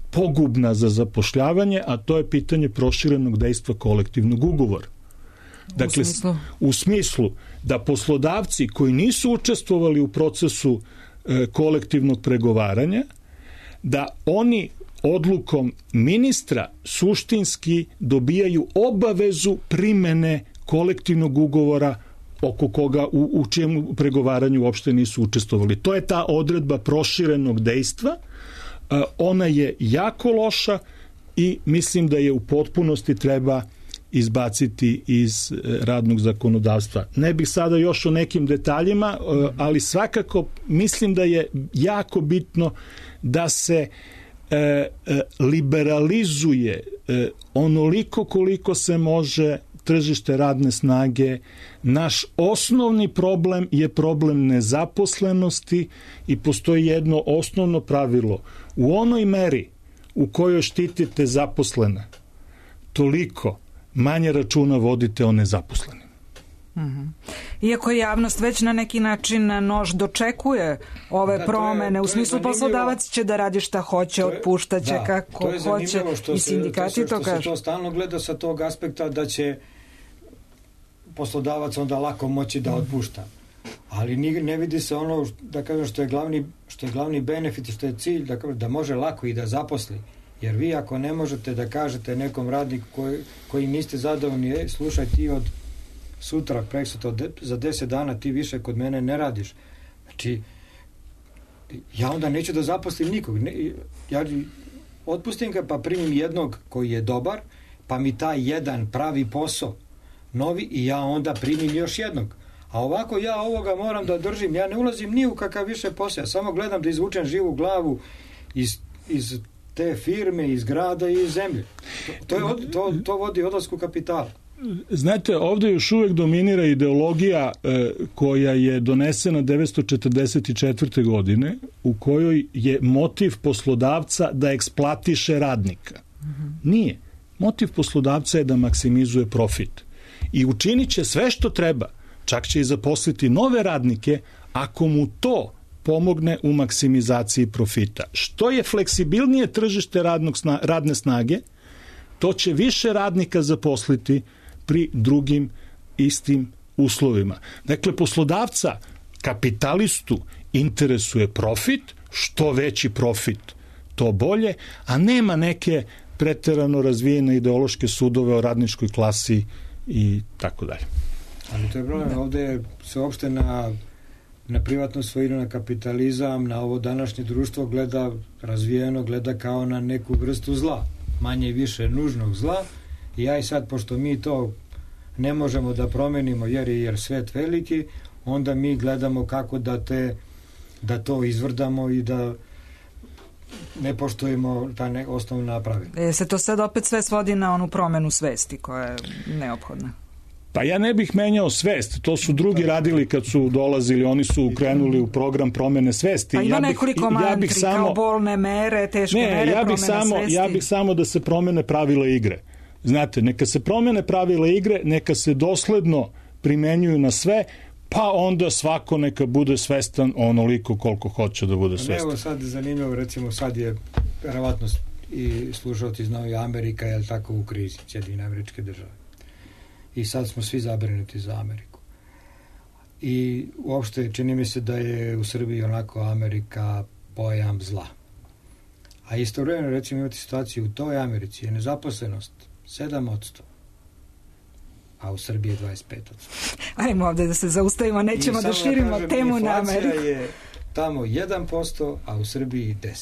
pogubna za zapošljavanje, a to je pitanje proširenog dejstva kolektivnog ugovora. Dakle, u smislu da poslodavci koji nisu učestvovali u procesu kolektivnog pregovaranja, da oni odlukom ministra suštinski dobijaju obavezu primene kolektivnog ugovora oko koga u čijem pregovaranju uopšte nisu učestvovali. To je ta odredba proširenog dejstva. Ona je jako loša i mislim da je u potpunosti treba izbaciti iz radnog zakonodavstva. Ne bih sada još o nekim detaljima, ali svakako mislim da je jako bitno da se liberalizuje onoliko koliko se može tržište radne snage. Naš osnovni problem je problem nezaposlenosti i postoji jedno osnovno pravilo. U onoj meri u kojoj štitite zaposlene, toliko manje računa vodite o nezaposlenim. Iako javnost već na neki način nož dočekuje ove promene, u smislu poslodavac će da radi šta hoće, otpuštaće kako hoće i sindikati to kažu. Se to stalno gleda sa tog aspekta da će poslodavac onda lako moći da otpušta. Ali ne vidi se ono, da kažem, što je glavni benefit i što je cilj, da može lako i da zaposli. Jer vi ako ne možete da kažete nekom radniku koji niste zadovoljni, slušaj, ti od sutra, preksutra, za 10 dana ti više kod mene ne radiš. Znači, ja onda neću da zaposlim nikog. Ja otpustim ga pa primim jednog koji je dobar, pa mi taj jedan pravi posao novi i ja onda primim još jednog. A ovako ja ovoga moram da držim, ja ne ulazim ni u kakav više posao, samo gledam da izvučem živu glavu iz te firme, iz grada i iz zemlje. To vodi odlasku kapitala. Znate, ovdje još uvijek dominira ideologija koja je donesena 1944. godine, u kojoj je motiv poslodavca da eksploatiše radnika. Nije. Motiv poslodavca je da maksimizuje profit. I učinit će sve što treba, čak će i zaposliti nove radnike, ako mu to pomogne u maksimizaciji profita. Što je fleksibilnije tržište radne snage, to će više radnika zaposliti pri drugim istim uslovima. Dakle, poslodavca, kapitalistu interesuje profit, što veći profit, to bolje, a nema neke preterano razvijene ideološke sudove o radničkoj klasi i tako dalje. Ali to je problem, ovdje se uopšte na privatnu svojinu, na kapitalizam, na ovo današnje društvo gleda kao na neku vrstu zla, manje i više nužnog zla. I ja i sad, pošto mi to ne možemo da promenimo jer svet veliki, onda mi gledamo kako da to izvrdamo i da ne poštujemo ta osnovna pravila. Se to sad opet sve svodi na onu promenu svesti koja je neophodna? Pa ja ne bih menjao svest, to su drugi radili kad su dolazili, oni su krenuli u program promene svesti. Pa ima nekoliko mantri, kao bolne mere, teške mere, promene svesti. Ja bih samo da se promene pravila igre. Znate, neka se promene pravila igre, neka se dosledno primenjuju na sve, pa onda svako neka bude svestan onoliko koliko hoće da bude svestan. Evo sad zanimljivo, recimo sad je verovatno i slušalci znaju Amerika, je li tako, u krizi, Sjedinjene Američke Države. I sad smo svi zabrinuti za Ameriku. I uopšte čini mi se da je u Srbiji onako Amerika pojam zla. A istovremeno, recimo, imate situaciju u toj Americi je nezaposlenost 7%, a u Srbiji je 25%. Ajmo ovdje da se zaustavimo, nećemo da širimo temu na Ameriku. Inflacija je tamo 1%, a u Srbiji 10%.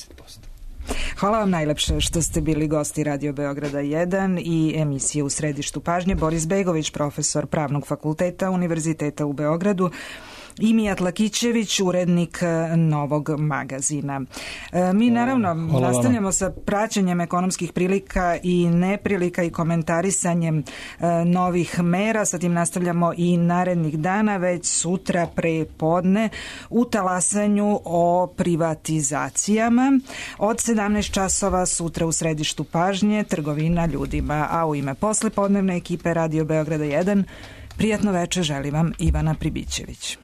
Hvala vam najlepše što ste bili gosti Radio Beograda 1 i emisije U središtu pažnje. Boris Begović, profesor Pravnog fakulteta Univerziteta u Beogradu, i Mijat Lakićević, urednik Novog magazina. Mi naravno nastavljamo sa praćenjem ekonomskih prilika i neprilika i komentarisanjem novih mera. Sa tim nastavljamo i narednih dana, već sutra pre podne u talasanju o privatizacijama. Od 17 časova sutra u središtu pažnje trgovina ljudima, a u ime poslepodnevne ekipe Radio Beograda 1 prijatno veče želi vam Ivana Pribićević.